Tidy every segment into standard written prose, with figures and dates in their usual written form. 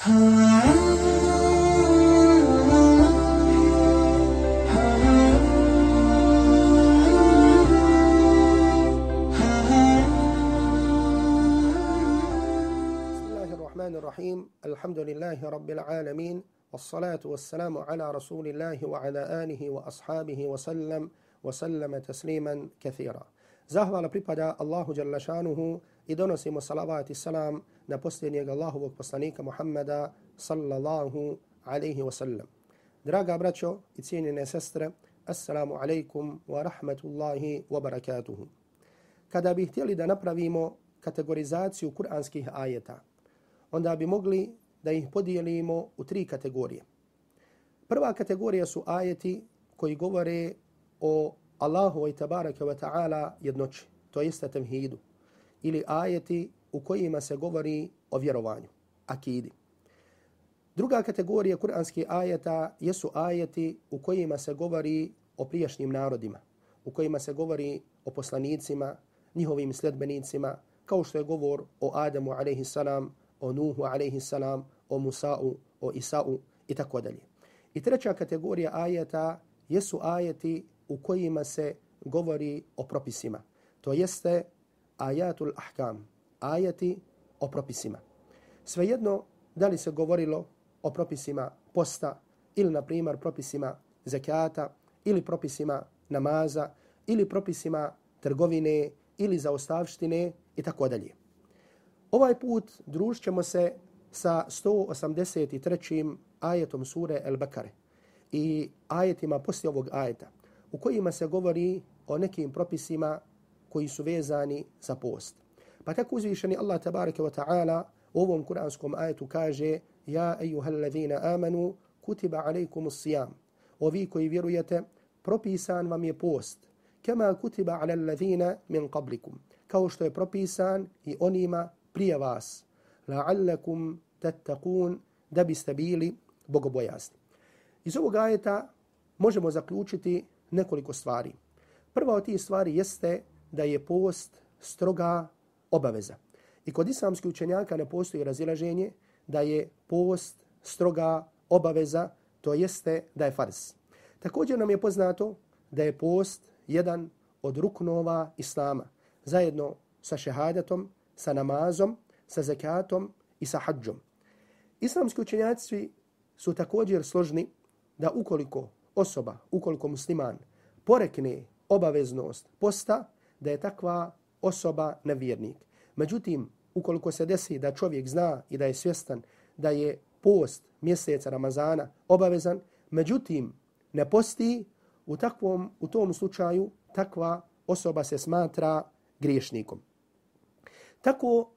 Bismillahirrahmanirrahim. Alhamdulillahi rabbil alamin. Wassalatu wassalamu ala rasulillahi wa ala alihi wa ashabihi wa sallama tasliman kathira. Zahvala pripada Allahu jalla šanuhu i donosimo salavat i salam na posljednjeg Allahovog poslanika Muhammada sallallahu alaihi wa sallam. Draga braćo i cijenjene sestre, assalamu alaikum wa rahmatullahi wa barakatuhu. Kada bi htjeli da napravimo kategorizaciju kuranskih ajeta, onda bi mogli da ih podijelimo u tri kategorije. Prva kategorija su ajeti koji govore o Allahu i tabaraka wa ta'ala jednoći, to jeste tevhidu, ili ajeti u kojima se govori o vjerovanju, akidi. Druga kategorija kuranskih ajeta jesu ajeti u kojima se govori o prijašnjim narodima, u kojima se govori o poslanicima, njihovim sljedbenicima, kao što je govor o Adamu alejhi salam, o Nuhu alejhi salam, o Musa'u, o Isa'u i tako dalje. I treća kategorija ajeta jesu ajeti u kojima se govori o propisima. To jeste ajatul ahkam, ajeti o propisima. Svejedno da li se govorilo o propisima posta ili na primjer propisima zekata ili propisima namaza ili propisima trgovine ili zaostavštine i tako dalje. Ovaj put družit ćemo se sa 183. ajetom sure El-Bekare i ajetima poslije ovog ajeta u kojima se govori o nekim propisima koji su vezani za post. Pa tako uzvišeni Allah tabaraka wa ta'ala u ovom kuranskom ajetu kaže: Ja ejuhallazina amanu kutiba alejkumus sijam. Ovi koji vjerujete, propisan vam je post. Kama kutiba ala allazina min qablikum. Kao što je propisan i onima prije vas. La'allakum tattaqun, da biste bili bogobojazni. Iz ovog ajeta možemo zaključiti nekoliko stvari. Prva od tih stvari jeste da je post stroga obaveza. I kod islamskih učenjaka ne postoji razilaženje da je post stroga obaveza, to jeste da je farz. Također nam je poznato da je post jedan od ruknova islama, zajedno sa šehadetom, sa namazom, sa zekatom i sa hadžom. Islamski učenjaci su također složni da ukoliko musliman porekne obaveznost posta, da je takva osoba nevjernik. Međutim, ukoliko se desi da čovjek zna i da je svjestan da je post mjeseca Ramazana obavezan, međutim ne posti, u tom slučaju takva osoba se smatra griješnikom. Tako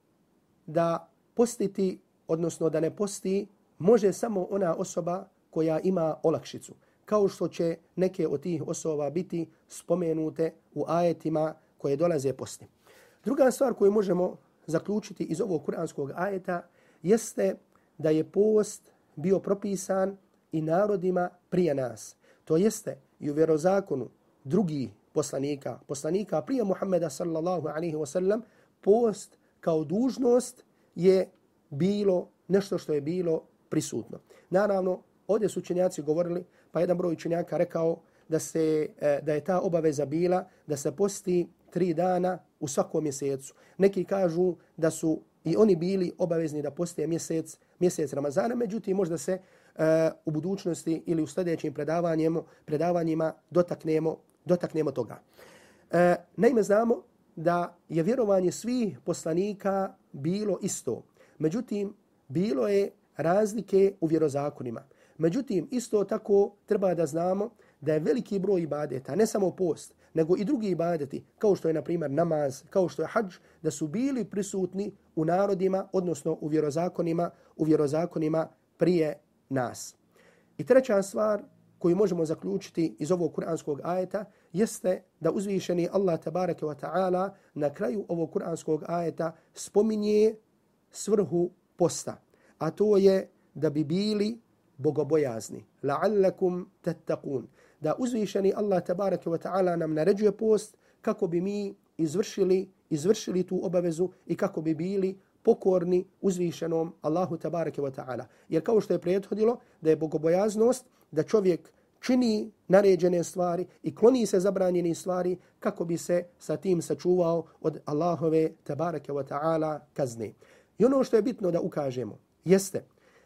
da postiti, odnosno da ne posti, može samo ona osoba koja ima olakšicu, kao što će neke od tih osoba biti spomenute u ajetima koje dolaze poslije. Druga stvar koju možemo zaključiti iz ovog kuranskog ajeta jeste da je post bio propisan i narodima prije nas. To jeste i u vjerozakonu drugih poslanika prije Muhammeda sallallahu alaihi wa sallam, post kao dužnost je bilo nešto što je bilo prisutno. Naravno, ovdje su učenjaci govorili, pa jedan broj učenjaka rekao da je ta obaveza bila da se posti 3 dana u svakom mjesecu. Neki kažu da su i oni bili obavezni da poste mjesec Ramazana, međutim možda se u budućnosti ili u sljedećim predavanjima dotaknemo toga. Naime, znamo da je vjerovanje svih poslanika bilo isto. Međutim, bilo je razlike u vjerozakonima. Međutim, isto tako treba da znamo da je veliki broj ibadeta, ne samo post, nego i drugi ibadeti, kao što je, na primjer, namaz, kao što je hadž, da su bili prisutni u narodima, odnosno u vjerozakonima prije nas. I treća stvar koju možemo zaključiti iz ovog kuranskog ajeta jeste da uzvišeni Allah tabaraka wa ta'ala na kraju ovog kuranskog ajeta spominje svrhu posta, a to je da bi bili bogobojazni. La'allakum tattaqun. Da uzvišeni Allah tabaraka wa ta'ala nam naređuje post kako bi mi izvršili tu obavezu i kako bi bili pokorni uzvišenom Allahu tabaraka wa ta'ala. Jer kao što je prethodilo da je bogobojaznost da čovjek čini naređene stvari i kloni se zabranjene stvari kako bi se sa tim sačuvao od Allahove tabaraka wa ta'ala kazne. I ono što je bitno da ukažemo jeste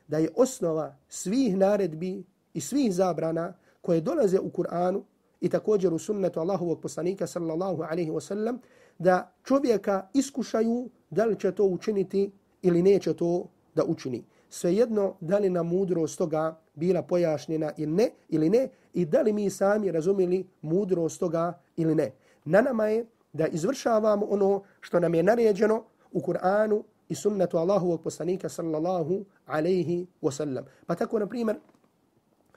da je osnova svih naredbi i svih zabrana koje dolaze u Kur'anu i također u sunnetu Allahovog poslanika sallallahu alaihi wa sallam da čovjeka iskušaju da li će to učiniti ili neće to da učini. Svejedno da li nam mudrost toga bila pojašnjena ili ne i da li mi sami razumjeli mudrost toga ili ne. Na nama je da izvršavamo ono što nam je naređeno u Kur'anu i sunnetu Allahovog poslanika sallallahu alaihi wa sallam. Pa tako, na primjer,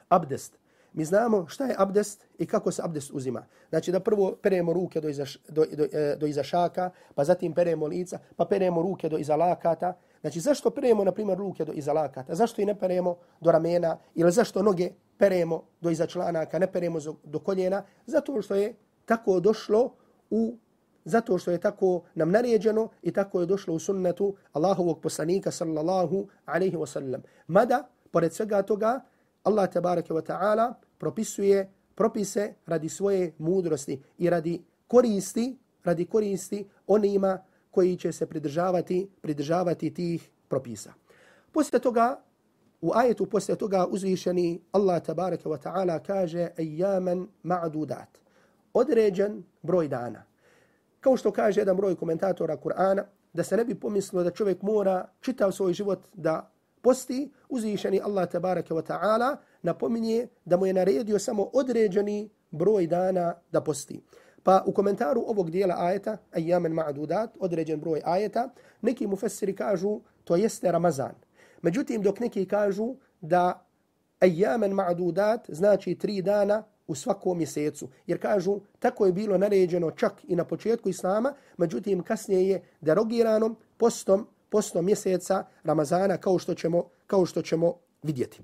abdest. Mi znamo šta je abdest i kako se abdest uzima. Znači da prvo peremo ruke do iza šaka, pa zatim peremo lica, pa peremo ruke do iza lakata. Znači zašto peremo, na primjer, ruke do iza lakata? Zašto i ne peremo do ramena? Ili zašto noge peremo do iza članaka, ne peremo do koljena? Zato što je tako došlo zato što je tako nam naređeno i tako je došlo u sunnetu Allahovog poslanika sallallahu alaihi wa sallam. Mada, pored svega toga, Allah tabaraka wa ta'ala propisuje propise radi svoje mudrosti i radi koristi onima koji će se pridržavati tih propisa. Poslije toga, u ajetu poslije toga uzvišeni Allah tabaraka wa ta'ala kaže ayyaman ma'dudat. Određen broj dana. Kao što kaže jedan broj komentatora Kur'ana, da se ne bi pomislilo da čovjek mora čitav svoj život da posti, uzvišeni Allah tabaraka wa ta'ala napominje da mu je naredio samo određeni broj dana da posti. Pa u komentaru ovog dijela ajeta, ayyaman ma'dudat, određen broj ajeta, neki mufessiri kažu to jeste Ramazan. Međutim, dok neki kažu da ayyaman ma'dudat znači 3 dana u svakom mjesecu. Jer kažu, tako je bilo naređeno čak i na početku Islama, međutim kasnije je derogirano postom mjeseca Ramazana, kao što ćemo vidjeti.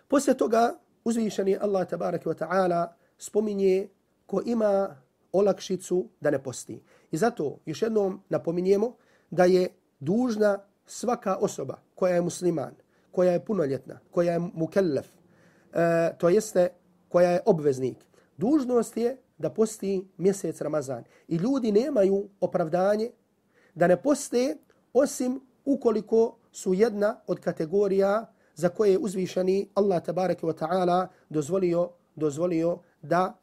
Poslije toga uzvišeni Allah tabaraka wa ta'ala spominje ko ima olakšicu da ne posti. I zato još jednom napominjemo da je dužna svaka osoba koja je musliman, koja je punoljetna, koja je mukellef, to jeste koja je obveznik. Dužnost je da posti mjesec Ramazan. I ljudi nemaju opravdanje da ne poste osim ukoliko su jedna od kategorija za koje je uzvišeni Allah tabaraka wa ta'ala dozvolio da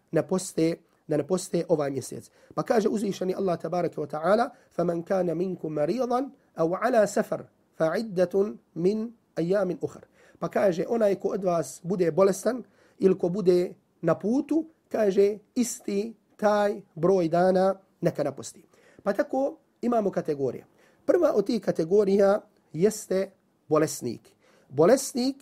ne poste ovaj mjesec. Pa kaže uzvišeni Allah tabaraka wa ta'ala فَمَنْ كَانَ مِنْكُمْ مَرِيضًا أَوْ عَلَى سَفَرٍ فَعِدَّةٌ مِنْ أَيَّامٍ أُخَرٍ. Pa kaže onaj ko od vas bude bolestan ili ko bude na putu, kaže isti taj broj dana neka naposti. Pa tako imamo kategorije. Prva od tih kategorija jeste bolesnik. Bolesnik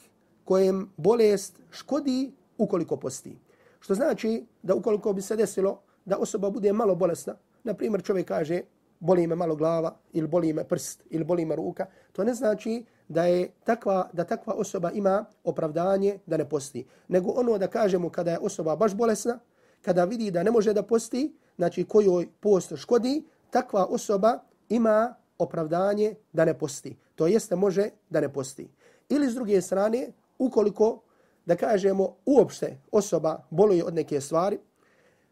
kojem bolest škodi ukoliko posti. Što znači da ukoliko bi se desilo da osoba bude malo bolesna, na primjer čovjek kaže boli me malo glava ili boli me prst ili boli me ruka, to ne znači da takva osoba ima opravdanje da ne posti. Nego ono da kažemo kada je osoba baš bolesna, kada vidi da ne može da posti, znači kojoj post škodi, takva osoba ima opravdanje da ne posti. To jeste može da ne posti. Ili s druge strane, ukoliko da kažemo uopšte osoba boluje od neke stvari,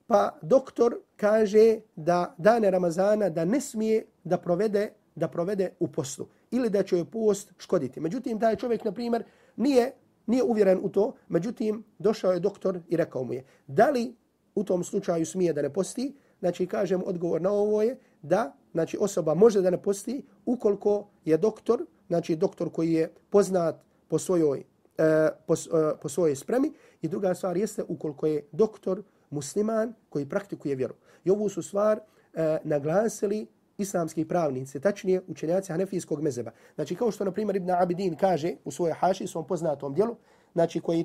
pa doktor kaže da dane Ramazana da ne smije da provede u postu ili da će joj post škoditi. Međutim, taj čovjek, na primjer, nije uvjeren u to, međutim, došao je doktor i rekao mu je da li u tom slučaju smije da ne posti. Znači, kažem, odgovor na ovo je da znači, osoba može da ne posti ukoliko je doktor, znači doktor koji je poznat po svojoj spremi, i druga stvar jeste ukoliko je doktor musliman koji praktikuje vjeru. I ovu su stvar naglasili islamski pravnici, tačnije učenjaci hanefijskog mezheba. Znači kao što na primjer Ibn Abidin kaže u svojoj haši, svom poznatom djelu, znači koji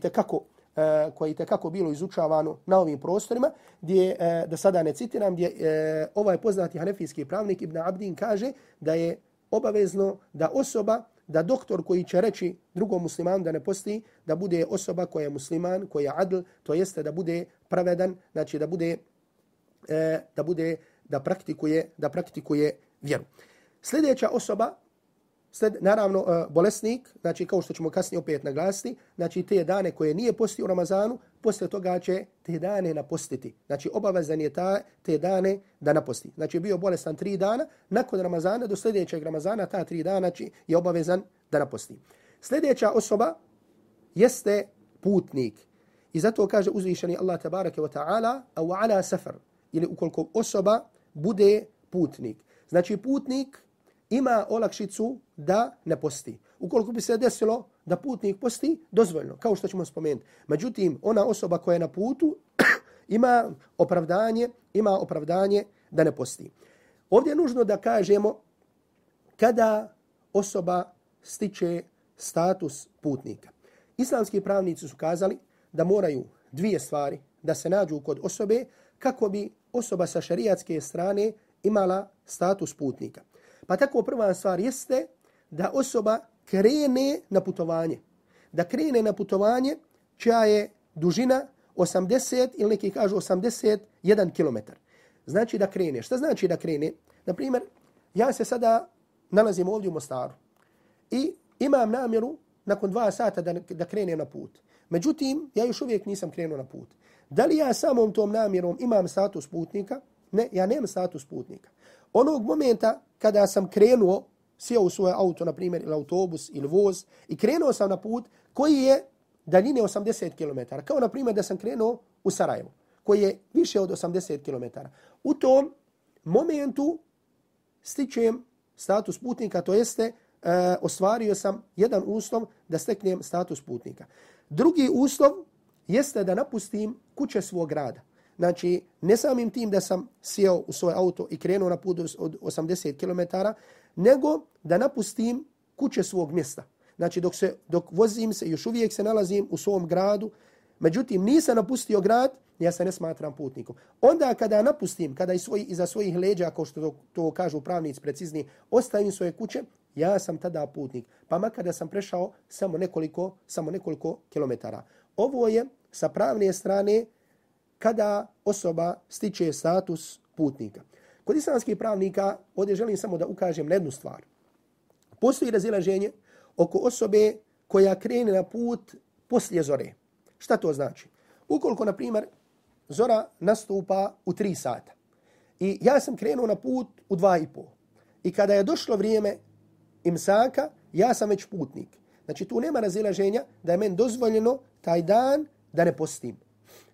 je tekako bilo izučavano na ovim prostorima, gdje, da sada ne citiram, gdje ovaj poznati hanefijski pravnik Ibn Abidin kaže da je obavezno da doktor koji će reći drugom muslimanu da ne posti, da bude osoba koja je musliman, koja je adl, to jeste da bude pravedan, znači da praktikuje vjeru. Sljedeća osoba, naravno bolesnik, znači kao što ćemo kasnije opet naglasiti, znači te dane koje nije postio u Ramazanu, poslije toga će te dane napostiti. Znači obavezan je te dane da naposti. Znači bio bolestan 3 dana, nakon Ramazana do sljedećeg Ramazana ta 3 dana je obavezan da naposti. Sljedeća osoba jeste putnik. I zato kaže uzvišeni Allah tabaraka wa ta'ala, au ala safar, ili ukoliko osoba bude putnik. Znači putnik ima olakšicu da ne posti. Ukoliko bi se desilo da putnik posti, dozvoljno, kao što ćemo spomenuti. Međutim, ona osoba koja je na putu ima opravdanje da ne posti. Ovdje je nužno da kažemo kada osoba stiče status putnika. Islamski pravnici su kazali da moraju 2 stvari da se nađu kod osobe kako bi osoba sa šerijatske strane imala status putnika. Pa tako prva stvar jeste da osoba krene na putovanje. Da krene na putovanje čija je dužina 80 ili neki kažu 81 km. Znači da krene. Šta znači da krene? Naprimjer, ja se sada nalazim ovdje u Mostaru i imam namjeru nakon 2 sata da krenem na put. Međutim, ja još uvijek nisam krenuo na put. Da li ja samom tom namjerom imam status putnika? Ne, ja nemam status putnika. Onog momenta kada sam krenuo, sjeo u svoje auto, na primjer, ili autobus, ili voz, i krenuo sam na put koji je daljine 80 km. Kao, na primjer, da sam krenuo u Sarajevo, koji je više od 80 km. U tom momentu stičem status putnika, to jeste ostvario sam jedan uslov da steknem status putnika. Drugi uslov jeste da napustim kuće svog grada. Znači, ne samim tim da sam sjeo u svoj auto i krenuo na put od 80 km, nego da napustim kuće svog mjesta. Znači, dok vozim se, još uvijek se nalazim u svom gradu, međutim, nisam napustio grad, ja se ne smatram putnikom. Onda kada napustim, kada iza svojih leđa, kao što to kažu pravnici precizni, ostavim svoje kuće, ja sam tada putnik. Pa makar da sam prešao samo nekoliko kilometara. Ovo je sa pravne strane kada osoba stiče status putnika. Kod islamskih pravnika, ovdje želim samo da ukažem na jednu stvar. Postoji razilaženje oko osobe koja krene na put poslije zore. Šta to znači? Ukoliko, na primjer, zora nastupa u 3 sata i ja sam krenuo na put u 2,5 i kada je došlo vrijeme imsaka, ja sam već putnik. Znači, tu nema razilaženja da je meni dozvoljeno taj dan da ne postim.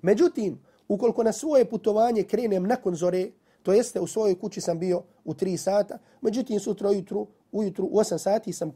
Međutim, ukoliko na svoje putovanje krenem nakon zore, to jeste u svojoj kući sam bio u 3 sata, međutim sutra ujutru u 8 sati sam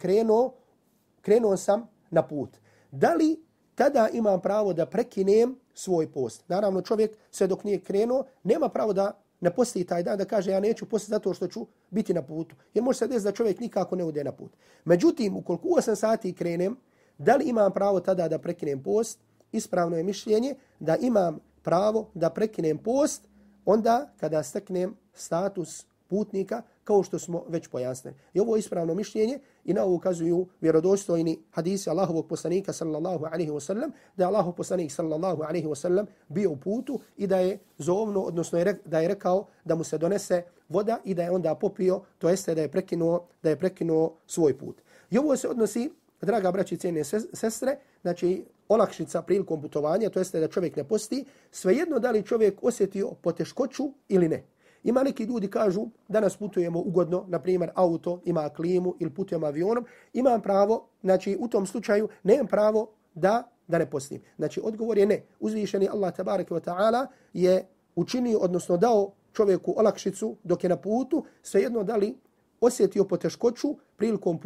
krenuo sam na put. Da li tada imam pravo da prekinem svoj post? Naravno, čovjek sve dok nije krenuo, nema pravo da ne posti taj dan, da kaže ja neću postiti zato što ću biti na putu. Jer može se desiti da čovjek nikako ne ode na put. Međutim, ukoliko u 8 sati krenem, da li imam pravo tada da prekinem post? Ispravno je mišljenje da imam pravo da prekinem post onda kada steknem status putnika, kao što smo već pojasnili. I ovo je ispravno mišljenje i na ovo ukazuju vjerodostojni hadisi Allahovog poslanika sallallahu alaihi wa sallam, da je Allahov poslanik sallallahu alaihi wa sallam bio u putu i da je zovno, odnosno da je rekao da mu se donese voda i da je onda popio, to jeste da je prekinuo svoj put. I ovo se odnosi, draga braći i cijene sestre, znači olakšica prilikom putovanja, to jeste da čovjek ne posti, svejedno da li čovjek osjetio poteškoću ili ne. Ima neki ljudi kažu, danas putujemo ugodno, na primjer auto ima klimu ili putujemo avionom, imam pravo, znači u tom slučaju nemam pravo da ne postim. Znači odgovor je ne. Uzvišeni Allah tabaraka wa ta'ala je učinio, odnosno dao čovjeku olakšicu dok je na putu, svejedno da li osjetio poteškoću prilikom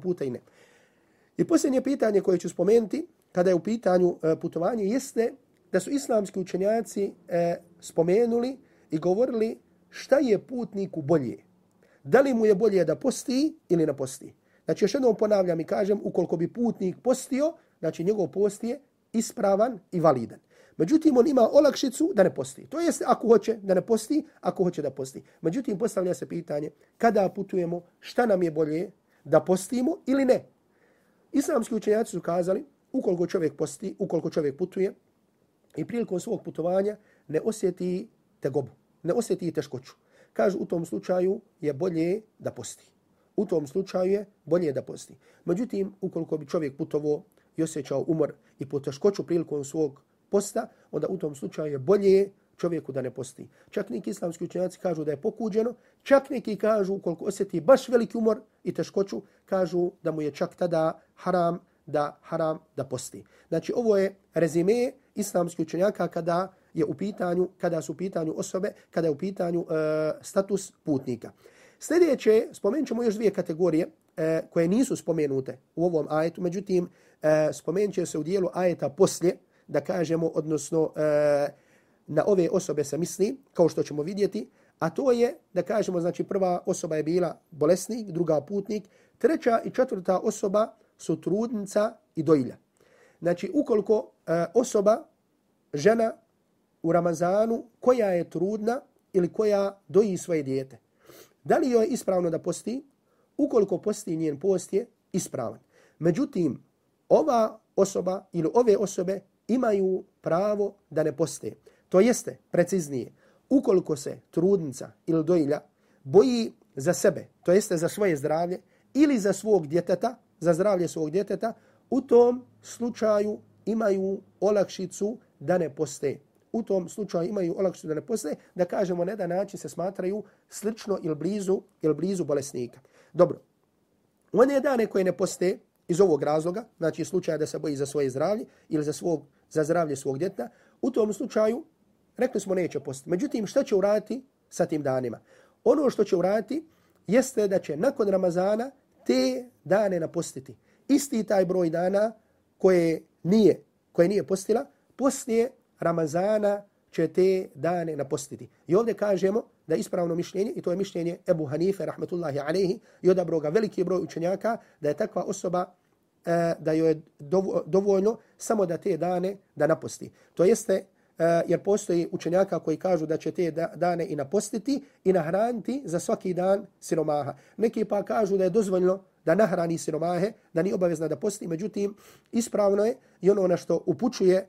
puta i ne. I posljednje pitanje koje ću spomenuti kada je u pitanju putovanje jeste da su islamski učenjaci spomenuli i govorili šta je putniku bolje. Da li mu je bolje da posti ili ne posti. Znači još jednom ponavljam i kažem, ukoliko bi putnik postio, znači njegov post je ispravan i validan. Međutim, on ima olakšicu da ne posti. To jeste ako hoće da ne posti, ako hoće da posti. Međutim, postavlja se pitanje kada putujemo, šta nam je bolje da postimo ili ne. Islamski učenjaci su kazali, ukoliko čovjek posti, ukoliko čovjek putuje i prilikom svog putovanja ne osjeti tegobu, ne osjeti teškoću. kažu u tom slučaju je bolje da posti. U tom slučaju je bolje da posti. Međutim, ukoliko bi čovjek putovao i osjećao umor i poteškoću prilikom svog posta, onda u tom slučaju je bolje čovjeku da ne posti. Čak neki islamski učenjaci kažu da je pokuđeno, čak neki kažu ukoliko osjeti baš veliki umor i teškoću, kažu da mu je čak tada haram da posti. Znači ovo je rezime islamskih učenjaka kada su u pitanju osobe, kada je u pitanju status putnika. Sljedeće, spomenut ćemo još dvije kategorije koje nisu spomenute u ovom ajetu, međutim spomenut će se u dijelu ajeta poslije, da kažemo, odnosno na ove osobe se misli, kao što ćemo vidjeti, a to je, da kažemo, znači prva osoba je bila bolesnik, druga putnik, treća i četvrta osoba su trudnica i dojilja. Znači, ukoliko osoba, žena u Ramazanu, koja je trudna ili koja doji svoje dijete, da li joj je ispravno da posti? Ukoliko posti, njen post je ispravan. Međutim, ova osoba ili ove osobe imaju pravo da ne poste. To jeste, preciznije, ukoliko se trudnica ili dojilja boji za sebe, to jeste za svoje zdravlje ili za svog djeteta, za zdravlje svog djeteta, u tom slučaju imaju olakšicu da ne poste. U tom slučaju imaju olakšicu da ne poste, da kažemo na jedan način se smatraju slično ili blizu bolesnika. Dobro, one dane koje ne poste iz ovog razloga, znači slučaja da se boji za svoje zdravlje ili za zdravlje svog djeteta, u tom slučaju rekli smo neće postiti. Međutim, šta će uraditi sa tim danima? Ono što će uraditi jeste da će nakon Ramazana te dane napostiti. Isti taj broj dana koje nije postila, poslije Ramazana će te dane napostiti. I ovdje kažemo da je ispravno mišljenje, i to je mišljenje Ebu Hanife, rahmetullahi alejhi, i odabro ga veliki broj učenjaka, da je takva osoba, da joj je dovoljno samo da te dane da naposti. To jeste, jer postoji učenjaka koji kažu da će te dane i napostiti i nahraniti za svaki dan siromaha. Neki pa kažu da je dozvoljno da nahrani siromahe, da nije obavezna da posti, međutim, ispravno je i ono na što upućuje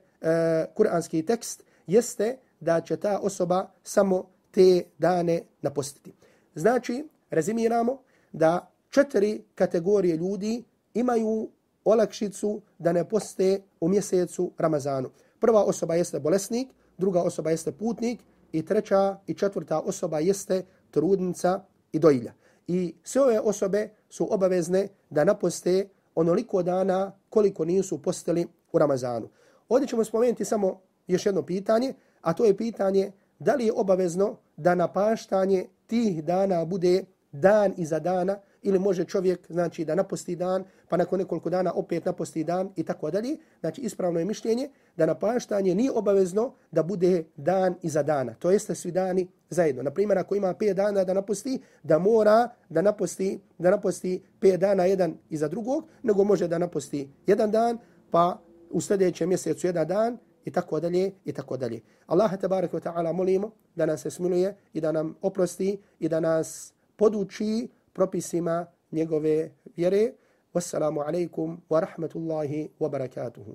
kuranski tekst jeste da će ta osoba samo te dane napostiti. Znači, rezimiramo da 4 kategorije ljudi imaju olakšicu da ne poste u mjesecu Ramazanu. Prva osoba jeste bolesnik, druga osoba jeste putnik i treća i četvrta osoba jeste trudnica i dojilja. I sve ove osobe su obavezne da naposte onoliko dana koliko nisu postili u Ramazanu. Ovdje ćemo spomenuti samo još jedno pitanje, a to je pitanje da li je obavezno da napaštanje tih dana bude dan iza dana ili može čovjek, znači, da naposti dan, pa nakon nekoliko dana opet naposti dan i tako dalje. Znači, ispravno je mišljenje da napaštanje nije obavezno da bude dan iza dana. To jeste svi dani zajedno. Naprimjer, ako ima 5 dana da naposti, da mora da naposti 5 dana jedan iza drugog, nego može da naposti jedan dan, pa u sljedećem mjesecu jedan dan i tako dalje i tako dalje. Allaha tebareke ve taala molimo da nas se smiluje i da nam oprosti i da nas poduči propisima njegove vjere. Wassalamu alaikum wa rahmatullahi wa barakatuhu.